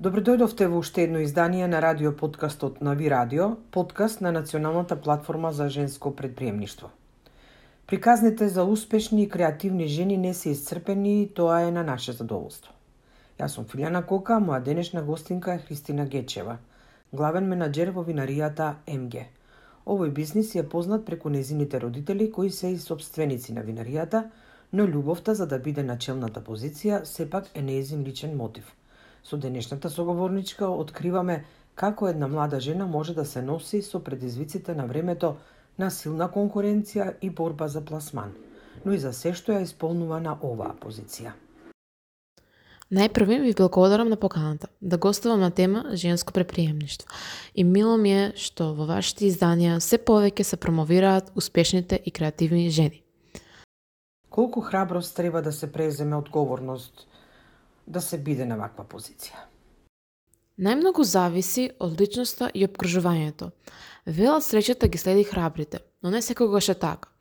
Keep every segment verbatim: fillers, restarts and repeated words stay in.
Добро дојдовте во уште едно издание на радио подкастот Нави Радио, подкаст на Националната платформа за женско предприемништво. Приказните за успешни и креативни жени не се исцрпени и тоа е на наше задоволство. Јас сум Филјана Кока, моја денешна гостинка е Христина Гечева, главен менаџер во винаријата Ем Ге. Овој бизнис е познат преку незините родители кои се и сопственици на винаријата, но љубовта за да биде на челната позиција сепак е нејзин личен мотив. Со денешната соговорничка откриваме како една млада жена може да се носи со предизвиците на времето на силна конкуренција и борба за пласман, но и за се што ја исполнува на оваа позиција. Најпрви ви благодарам на поканата да гостувам на тема женско предприемништво. И мило ми е што во вашите изданија се повеќе се промовираат успешните и креативни жени. Колку храброст треба да се преземе одговорност да се биде на ваква позиција? Најмногу зависи од личноста и обкружувањето. Велат среќата ги следи храбрите, но не секогаш е така.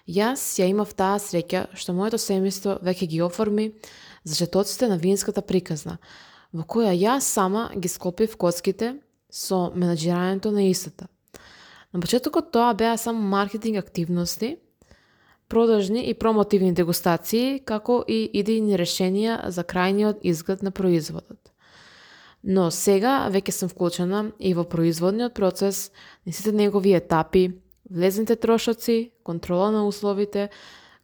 Јас ја имав таа среќа што моето семејство веќе ги оформи зачетоците на винската приказна, во која јас сама ги склопив коцките со менаџирањето на истата. На почетокот тоа беа само маркетинг активности, продажни и промотивни дегустации, како и идејни решенија за крајниот изглед на производот. Но сега веќе сум вклучена и во производниот процес, на сите негови етапи, влезните трошоци, контрола на условите,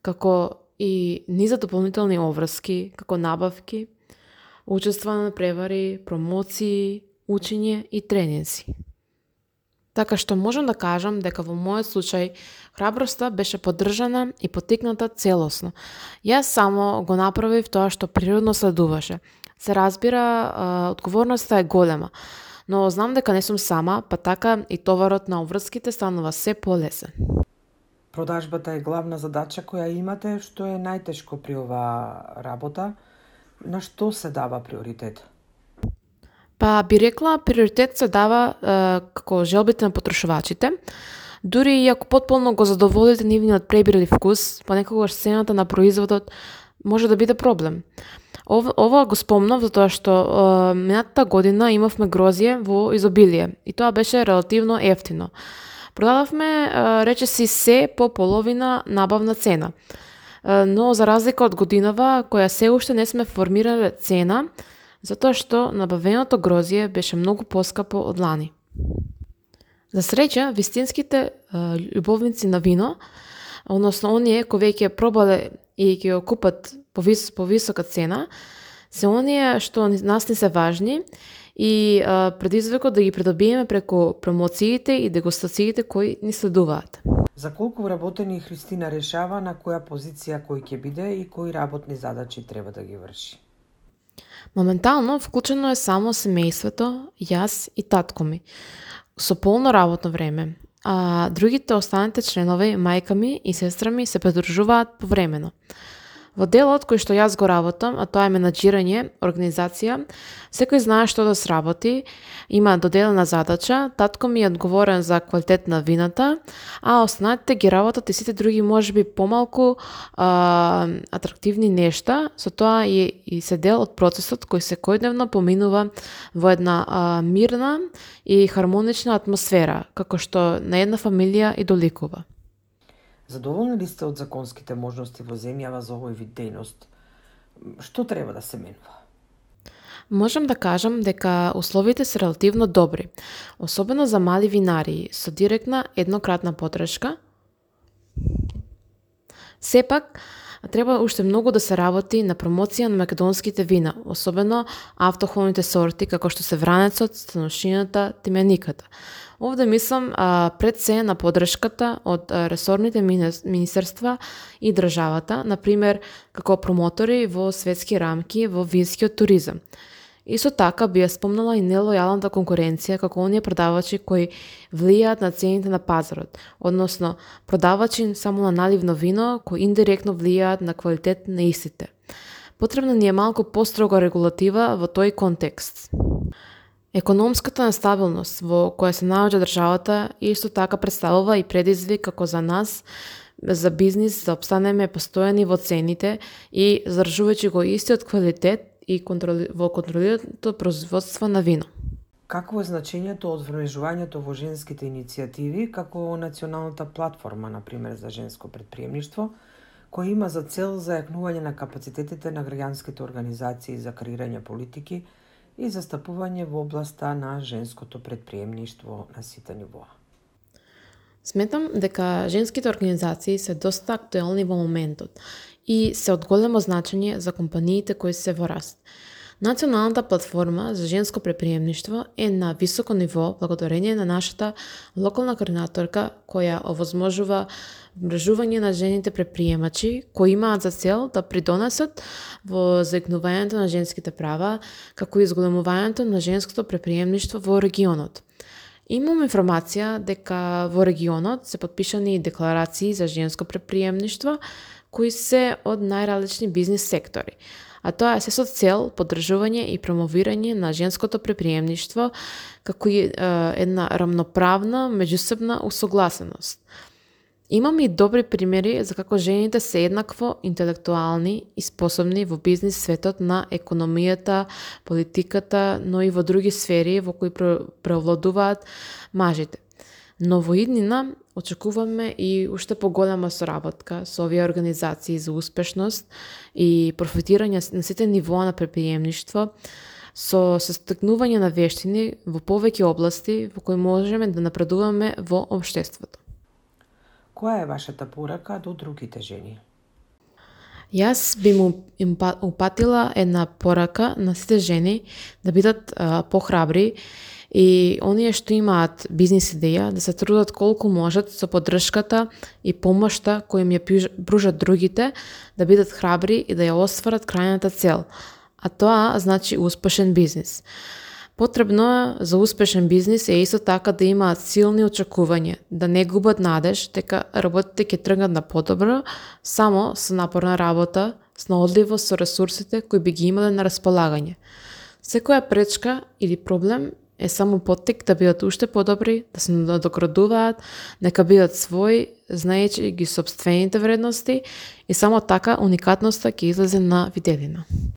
како и низа дополнителни обврски, како набавки, учествување на превари, промоции, учење и тренинзи. Така што можам да кажам дека во мојот случај храброста беше поддржана и потикната целосно. Јас само го направив тоа што природно следуваше. Се разбира, одговорноста е голема, но знам дека не сум сама, па така и товарот на обврските станува се полесен. Продажбата е главна задача која имате, што е најтешко при оваа работа. На што се дава приоритет? Па би рекла, приоритет се дава е, како желбите на потрошувачите. Дури и ако потполно го задоволите нивниот пребир или вкус, понекогаш цената на производот може да биде проблем. Ова, ова го спомнав затоа што е, минатата година имавме грозје во изобилие и тоа беше релативно ефтино. Продававме е, речиси се по половина набавна цена. Е, но за разлика од годинава, која се уште не сме формирале цена, затоа што набавеното грозје беше многу поскапо од лани. За среќа, вистинските е, љубовници на вино, односно оние кои веќе пробале и ќе го купат по, вис, по висока цена, се оние што нас не се важни и е, предизвикот да ги придобиеме преку промоциите и дегустациите кои ни следуваат. За колку вработени Христина решава на која позиција кој ќе биде и кои работни задачи треба да ги врши? Моментално вклучено е само семејството, јас и татко ми, со полно работно време, а другите останатите членови, мајка ми и сестра ми се придружуваат повремено. Во делот кој што јас го работам, а тоа е менаџирање, организација, секој знае што да сработи, има доделена задача, татко ми е одговорен за квалитет на вината, а останатите ги работат и сите други можеби помалку а, атрактивни нешта, со тоа и, и се дел од процесот кој секојдневно поминува во една а, мирна и хармонична атмосфера, како што на една фамилија и доликува. Задоволни ли сте од законските можности во земјава за овој вид дејност? Што треба да се менува? Можам да кажам дека условите се релативно добри, особено за мали винарии со директна еднократна подршка. Сепак, треба уште многу да се работи на промоција на македонските вина, особено автохоните сорти како што се вранецот, станошината, тимениката. Овде мислам а, пред се на подршката од а, ресорните министерства и државата, например како промотори во светски рамки во винскиот туризам. Исто така би ја спомнала и нелојалната конкуренција како оние продавачи кои влијаат на цените на пазарот, односно продавачи само на наливно вино кои индиректно влијаат на квалитет на истите. Потребна ни е малку построга регулатива во тој контекст. Економската нестабилност во која се наоѓа државата исто така представува и предизвик како за нас за бизнис да обстанеме постојани во цените и задржувајќи го истиот квалитет и контроли... во контролираното производство на вино. Какво е значењето од вмрежувањето во женските иницијативи, како националната платформа, например, за женско предприемништво, која има за цел зајакнување на капацитетите на граѓанските организации за креирање политики и застапување во областа на женското предприемништво на сите нивоа? Сметам дека женските организации се доста актуелни во моментот и се од големо значење за компаниите кои се во раст. Националната платформа за женско предприемништво е на високо ниво благодарение на нашата локална координаторка која овозможува мрежување на жените предприемачи кои имаат за цел да придонесат во зајакнувањето на женските права, како и зголемувањето на женското предприемништво во регионот. Имам информација дека во регионот се подпишани декларации за женско предприемништво кои се од најразлични бизнис сектори, а тоа е се со цел поддржување и промовирање на женското предприемништво како и е, една рамноправна меѓусебна усогласеност. Имам и добри примери за како жените се еднакво интелектуални и способни во бизнис светот на економијата, политиката, но и во други сфери во кои преовладуваат мажите. Но во иднина очекуваме и уште поголема соработка со овие организации за успешност и профитирање на сите нивоа на предприемништво, со состекнување на вештини во повеќе области во кои можеме да напредуваме во општеството. Која е вашата порака до другите жени? Јас би му упатила една порака на сите жени да бидат а, похрабри и оние што имаат бизнис идеја да се трудат колку можат со поддршката и помошта која им ја пружат другите, да бидат храбри и да ја остварат крајната цел, а тоа значи успешен бизнис. Потребно за успешен бизнис е исто така да имаат силни очекувања, да не губат надеж дека работите ќе тргнат на подобро само со напорна работа, снаодливост со ресурсите кои би ги имале на располагање. Секоја пречка или проблем е само поттик да бидат уште подобри, да се надоградуваат, нека бидат своји, знаејќи ги сопствените вредности и само така уникатноста ќе излезе на виделина.